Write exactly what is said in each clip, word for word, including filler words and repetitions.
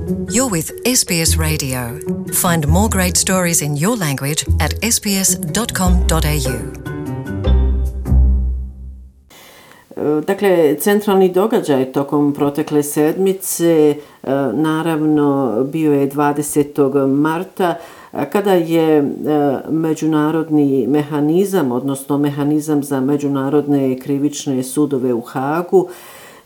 You're with S B S Radio. Find more great stories in your language at s b s dot com dot a u. Dakle, centralni događaj tokom protekle sedmice naravno bio je dvadesetog marta kada je međunarodni mehanizam, odnosno mehanizam za međunarodne krivične sudove u Hagu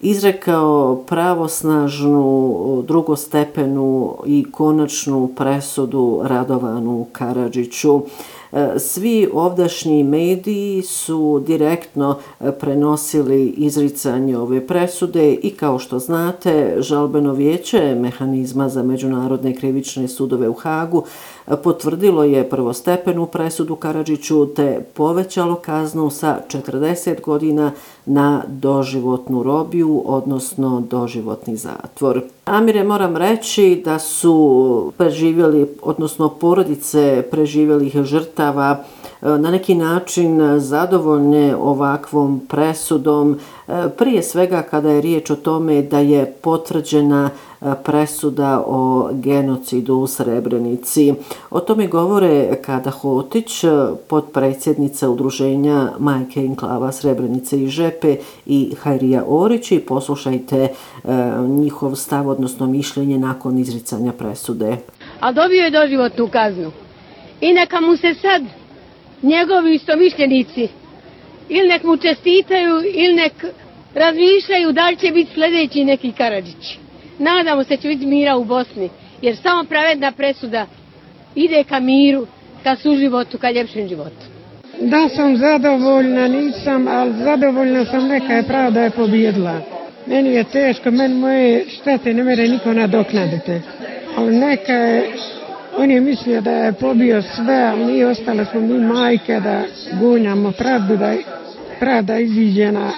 izrekao pravosnažnu drugostepenu i konačnu presudu Radovanu Karadžiću. Svi ovdašnji mediji su direktno prenosili izricanje ove presude i kao što znate, žalbeno vijeće mehanizma za međunarodne krivične sudove u Hagu potvrdilo je prvostepenu presudu Karadžiću te povećalo kaznu sa četrdeset godina na doživotnu robiju, odnosno doživotni zatvor. Amire, moram reći da su preživjeli, odnosno porodice preživjelih žrtava na neki način zadovoljne ovakvom presudom, prije svega kada je riječ o tome da je potvrđena presuda o genocidu u Srebrenici. O tome govore Kada Hotić, potpredsjednica udruženja Majke Enklava Srebrenice i Žepe, i Hajrija Orić, i poslušajte njihov stav, odnosno mišljenje nakon izricanja presude. A dobio je doživotnu kaznu. I neka mu se sad njegovi istomišljenici ili nek mu čestitaju ili nek razmišljaju da li će biti sljedeći neki Karadžić. Nadamo se će biti mira u Bosni, jer samo pravedna presuda ide ka miru, ka suživotu, ka ljepšem životu. Da sam zadovoljna, nisam, ali zadovoljna sam, neka je pravda je pobjedila. Meni je teško, meni moje štete ne mere niko nadoknaditi. Ali neka je, on je mislio da je pobio sve, ali nije, ostale smo mi majke da gunjamo pravdu, da pravda iziđe na,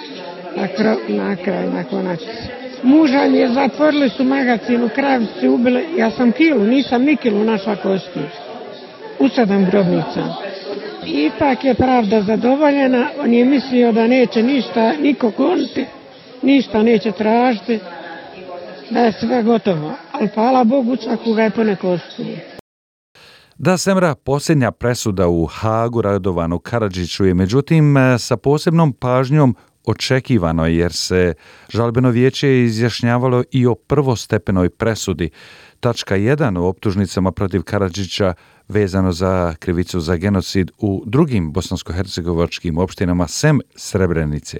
na, kraj, na kraj, na konačnici. Muža je zatvorili su magazin, u kravici ubili, ja sam kilu, nisam ni kilu našla kosti. U sedam grobnica. Ipak je pravda zadovoljena, on je mislio da neće ništa, niko goniti, ništa neće tražiti, da je sve gotovo. Ali hvala Bogu, svakoga je poneko osudio. Da, Semra, posljednja presuda u Hagu Radovanu Karadžiću je međutim sa posebnom pažnjom očekivano, jer se žalbeno vijeće izjašnjavalo i o prvostepenoj presudi. Tačka jedan u optužnicama protiv Karadžića vezano za krivicu za genocid u drugim bosansko-hercegovačkim opštinama sem Srebrenice.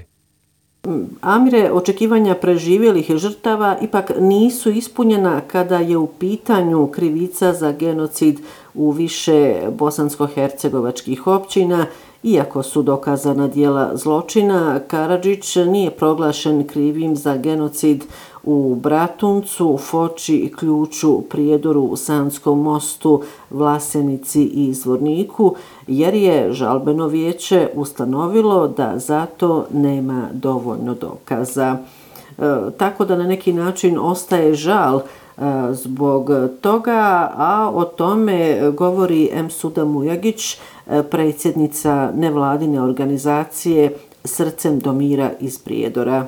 Amire, očekivanja preživjelih žrtava ipak nisu ispunjena kada je u pitanju krivica za genocid u više bosansko-hercegovačkih općina. Iako su dokazana djela zločina, Karadžić nije proglašen krivim za genocid u Bratuncu, Foči, Ključu, Prijedoru, Sanskom mostu, Vlasenici i Zvorniku, jer je žalbeno vijeće ustanovilo da zato nema dovoljno dokaza. E, tako da na neki način ostaje žal zbog toga, a o tome govori Emsuda Mujagić, predsjednica nevladine organizacije Srcem do mira iz Prijedora.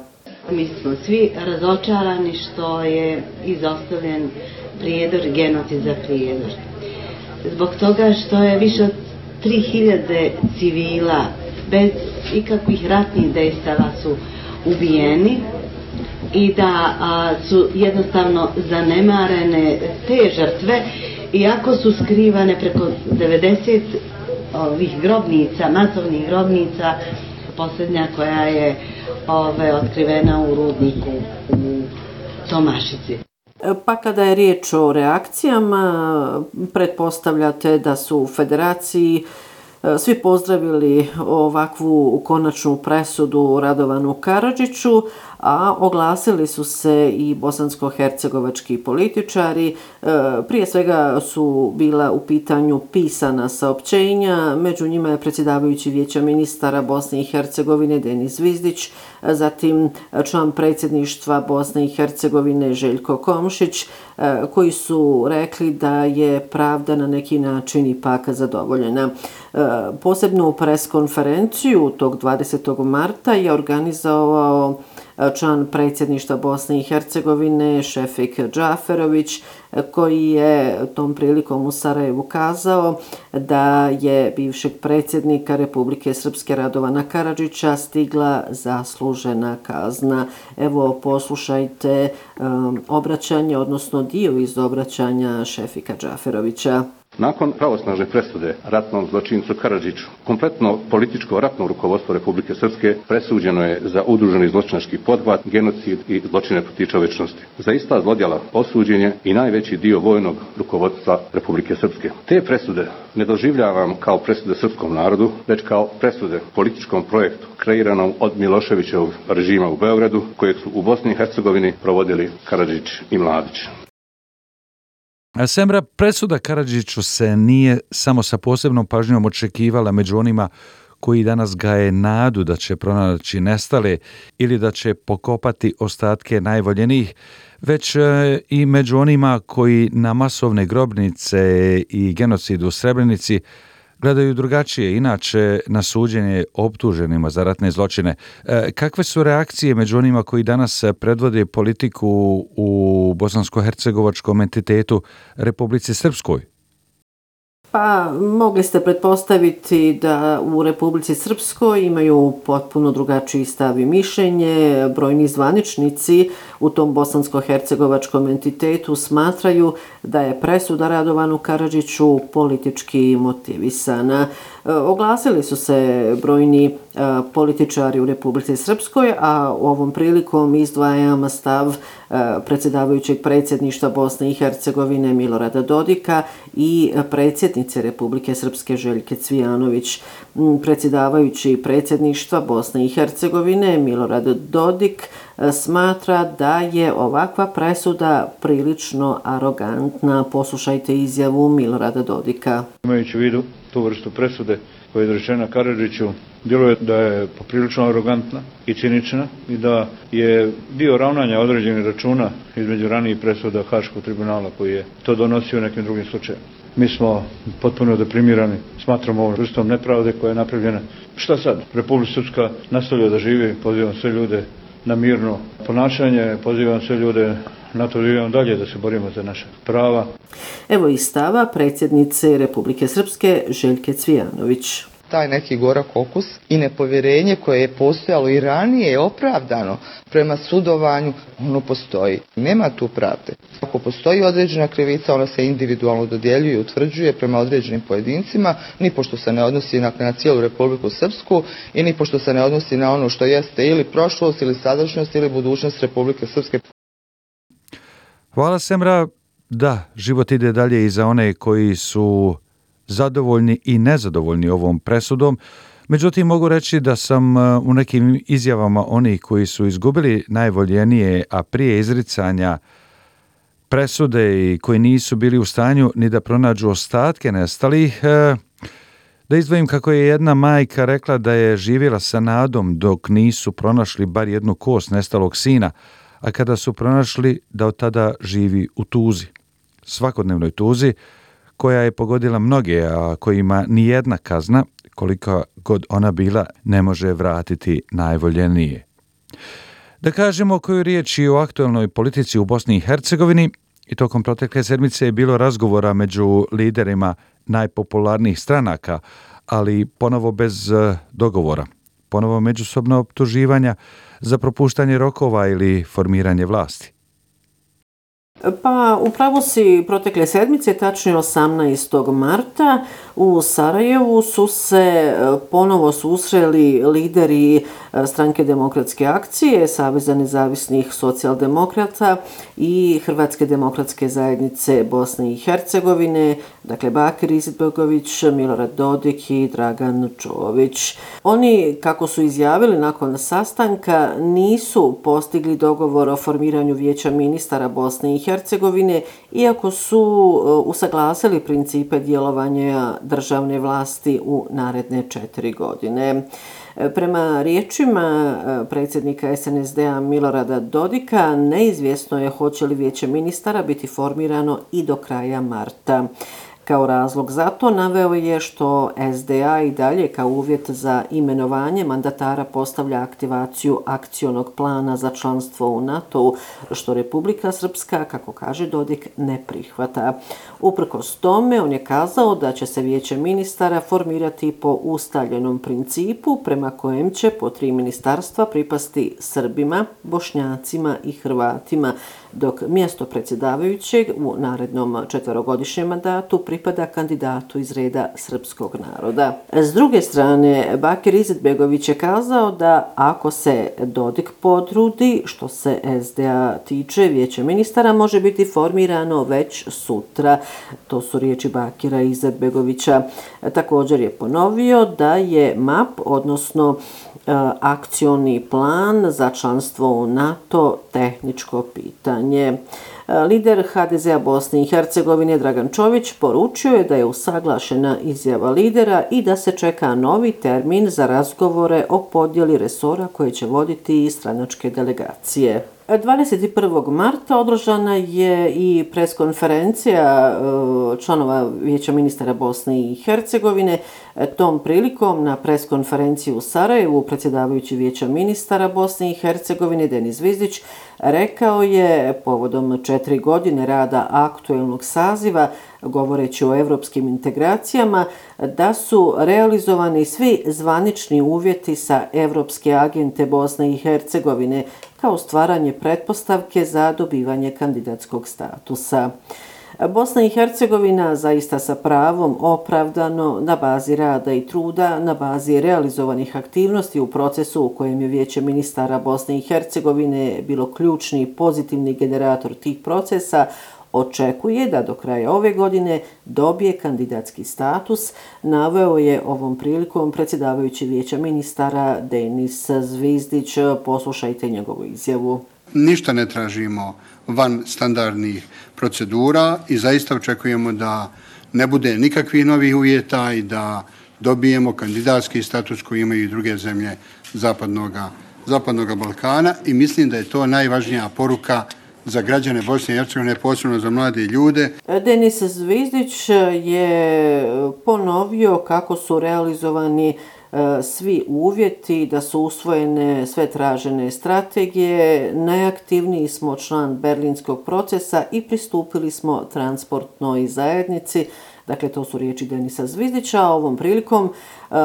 Mi smo svi razočarani što je izostavljen Prijedor, genocid za Prijedor. Zbog toga što je više od tri hiljade civila bez ikakvih ratnih dejstava su ubijeni i da a, su jednostavno zanemarene te žrtve, iako su skrivane preko devedeset ovih grobnica, masovnih grobnica, posljednja koja je ove, otkrivena u rudniku u Tomašici. Pa kada je riječ o reakcijama, pretpostavljate da su u Federaciji svi pozdravili ovakvu konačnu presudu Radovanu Karadžiću, a oglasili su se i bosansko-hercegovački političari. Prije svega su bila u pitanju pisana saopćenja, među njima je predsjedavajući Vijeća ministara Bosne i Hercegovine Denis Zvizdić, zatim član predsjedništva Bosne i Hercegovine Željko Komšić, koji su rekli da je pravda na neki način ipak zadovoljena. Posebnu preskonferenciju tog dvadesetog marta je organizovao član predsjedništva Bosne i Hercegovine Šefik Džaferović, koji je tom prilikom u Sarajevu kazao da je bivšeg predsjednika Republike Srpske Radovana Karadžića stigla zaslužena kazna. Evo, poslušajte um, obraćanje, odnosno dio iz obraćanja Šefika Džaferovića. Nakon pravosnažne presude ratnom zločincu Karadžiću, kompletno političko ratno rukovodstvo Republike Srpske presuđeno je za udruženi zločinački pothvat, genocid i zločine protiv čovječnosti. Za ista zlodjela osuđen je i najveći dio vojnog rukovodstva Republike Srpske. Te presude ne doživljavam kao presude srpskom narodu, već kao presude političkom projektu kreiranom od Miloševićevog režima u Beogradu, kojeg su u Bosni i Hercegovini provodili Karadžić i Mladić. Semra, presuda Karadžiću se nije samo sa posebnom pažnjom očekivala među onima koji danas gaje nadu da će pronaći nestale ili da će pokopati ostatke najvoljenijih, već i među onima koji na masovne grobnice i genocid u Srebrenici gledaju drugačije, inače na suđenje optuženima za ratne zločine. Kakve su reakcije među onima koji danas predvode politiku u bosansko-hercegovačkom entitetu Republici Srpskoj? Pa, mogli ste pretpostaviti da u Republici Srpskoj imaju potpuno drugačiji stav i mišljenje. Brojni zvaničnici u tom bosansko-hercegovačkom entitetu smatraju da je presuda Radovanu Karadžiću politički motivisana. Oglasili su se brojni političari u Republici Srpskoj, a ovom prilikom izdvajam stav predsjedavajućeg predsjedništva Bosne i Hercegovine Milorada Dodika i predsjednice Republike Srpske Željke Cvijanović. Predsjedavajući predsjedništva Bosne i Hercegovine Milorad Dodik smatra da je ovakva presuda prilično arogantna. Poslušajte izjavu Milorada Dodika. Imajući u vidu tu vrstu presude koja je izrečena Karadžiću, djeluje da je poprilično arogantna i cinična i da je dio ravnanja određenih računa između ranijih presuda Haškog tribunala koji je to donosio u nekim drugim slučajevima. Mi smo potpuno deprimirani, smatramo ovom vrstom nepravde koja je napravljena. Šta sad? Republika Srpska nastavlja da živi, pozivam sve ljude na mirno ponašanje, pozivam sve ljude na to da idemo dalje, da se borimo za naše prava. Evo i stava predsjednice Republike Srpske Željke Cvijanović. Taj neki gorak okus i nepovjerenje koje je postojalo i ranije je opravdano prema sudovanju, ono postoji. Nema tu pravde. Ako postoji određena krivica, ona se individualno dodjeljuje i utvrđuje prema određenim pojedincima, ni pošto se ne odnosi na, na cijelu Republiku Srpsku i ni pošto se ne odnosi na ono što jeste ili prošlost ili sadašnjost ili budućnost Republike Srpske. Hvala, Semra. Da, život ide dalje i za one koji su zadovoljni i nezadovoljni ovom presudom. Međutim, mogu reći da sam u nekim izjavama onih koji su izgubili najvoljenije, a prije izricanja presude i koji nisu bili u stanju ni da pronađu ostatke nestalih, da izdvojim kako je jedna majka rekla da je živjela sa nadom dok nisu pronašli bar jednu kost nestalog sina, a kada su pronašli da od tada živi u tuzi, svakodnevnoj tuzi, koja je pogodila mnoge, a kojima nijedna kazna, kolika god ona bila, ne može vratiti najvoljenije. Da kažemo koju riječ i o aktualnoj politici u Bosni i Hercegovini, i tokom protekle sedmice je bilo razgovora među liderima najpopularnijih stranaka, ali ponovo bez dogovora, ponovo međusobno optuživanja za propuštanje rokova ili formiranje vlasti. Pa upravo si protekle sedmice, tačnije osamnaestog marta, u Sarajevu su se ponovo susreli lideri Stranke demokratske akcije, Saveza nezavisnih socijaldemokrata i Hrvatske demokratske zajednice Bosne i Hercegovine, dakle Bakir Izetbegović, Milorad Dodik i Dragan Čović. Oni, kako su izjavili nakon sastanka, nisu postigli dogovor o formiranju vijeća ministara Bosne i Hercegovine, iako su usaglasili principe djelovanja državne vlasti u naredne četiri godine. Prema riječima predsjednika es en es de-a Milorada Dodika, neizvjesno je hoće li vijeće ministara biti formirano i do kraja marta. Kao razlog za to naveo je što S D A i dalje kao uvjet za imenovanje mandatara postavlja aktivaciju akcionog plana za članstvo u NATO-u, što Republika Srpska, kako kaže Dodik, ne prihvata. Uprkos tome, on je kazao da će se vijeće ministara formirati po ustaljenom principu prema kojem će po tri ministarstva pripasti Srbima, Bošnjacima i Hrvatima, dok mjesto predsjedavajućeg u narednom četverogodišnjem mandatu pripada kandidatu iz reda srpskog naroda. S druge strane, Bakir Izetbegović je kazao da ako se Dodik potrudi, što se S D A tiče, vijeće ministara može biti formirano već sutra. To su riječi Bakira Izetbegovića. Također je ponovio da je M A P, odnosno akcioni plan za članstvo u NATO, tehničko pitanje. Lider H D Z-a Bosne i Hercegovine Dragan Čović poručio je da je usaglašena izjava lidera i da se čeka novi termin za razgovore o podjeli resora koje će voditi i stranačke delegacije. dvadeset prvog marta održana je i preskonferencija članova Vijeća ministara Bosne i Hercegovine. Tom prilikom na preskonferenciji u Sarajevu predsjedavajući Vijeća ministara Bosne i Hercegovine Denis Zvizdić rekao je povodom četiri godine rada aktuelnog saziva, govoreći o evropskim integracijama, da su realizovani svi zvanični uvjeti sa evropske agente Bosne i Hercegovine kao stvaranje pretpostavke za dobivanje kandidatskog statusa. Bosna i Hercegovina zaista sa pravom opravdano na bazi rada i truda, na bazi realizovanih aktivnosti u procesu u kojem je Vijeće ministara Bosne i Hercegovine bilo ključni i pozitivni generator tih procesa, očekuje da do kraja ove godine dobije kandidatski status, naveo je ovom prilikom predsjedavajući Vijeća ministara Denis Zvizdić. Poslušajte njegovu izjavu. Ništa ne tražimo van standardnih procedura i zaista očekujemo da ne bude nikakvih novih uvjeta i da dobijemo kandidatski status koji imaju i druge zemlje zapadnoga, zapadnoga Balkana i mislim da je to najvažnija poruka za građane Bosne i Hercegovine, posebno za mlade ljude. Denis Zvizdić je ponovio kako su realizovani svi uvjeti, da su usvojene sve tražene strategije, najaktivniji smo član berlinskog procesa i pristupili smo transportnoj zajednici. Dakle, to su riječi Denisa Zvizdića. Ovom prilikom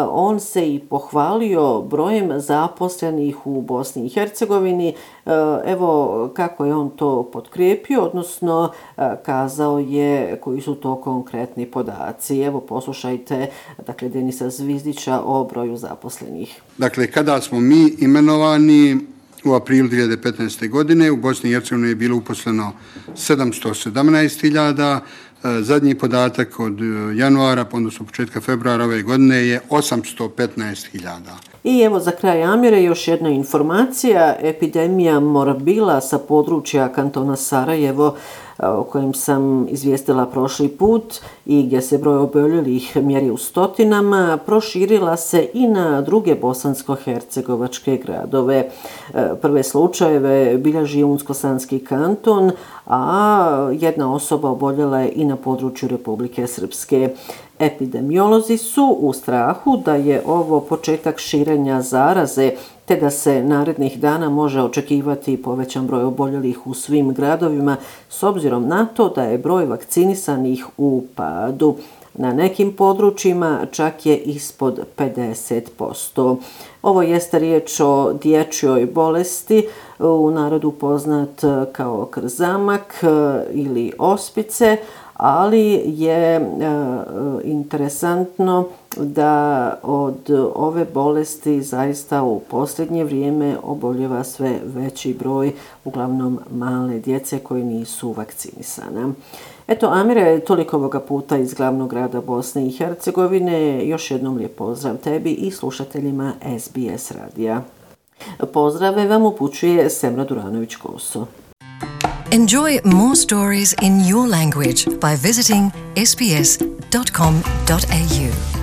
on se i pohvalio brojem zaposlenih u Bosni i Hercegovini. Evo kako je on to potkrijepio, odnosno kazao je koji su to konkretni podaci. Evo poslušajte, dakle, Denisa Zvizdića o broju zaposlenih. Dakle, kada smo mi imenovani u aprilu dvije hiljade petnaeste. godine, u Bosni i Hercegovini je bilo uposleno sedamsto sedamnaest hiljada. Zadnji podatak od januara, odnosno početka februara ove godine je osamsto petnaest hiljada. I evo za kraj Amire još jedna informacija. Epidemija morbila sa područja kantona Sarajevo, o kojem sam izvijestila prošli put i gdje se broj oboljelih mjeri u stotinama, proširila se i na druge bosansko-hercegovačke gradove. Prve slučajeve bilježi Unsko-Sanski kanton, a jedna osoba oboljela je i na području Republike Srpske. Epidemiolozi su u strahu da je ovo početak širenja zaraze, te da se narednih dana može očekivati povećan broj oboljelih u svim gradovima, s obzirom na to da je broj vakcinisanih u padu. Na nekim područjima čak je ispod pedeset posto. Ovo jeste riječ o dječjoj bolesti, u narodu poznat kao krzamak ili ospice, ali je e, interesantno da od ove bolesti zaista u posljednje vrijeme oboljeva sve veći broj, uglavnom male djece koji nisu vakcinisana. Eto, Amire, toliko ovoga puta iz glavnog grada Bosne i Hercegovine. Još jednom lijep pozdrav tebi i slušateljima S B S radija. Pozdrave vam upućuje Semra Duranović-Koso. Enjoy more stories in your language by visiting s b s dot com dot a u.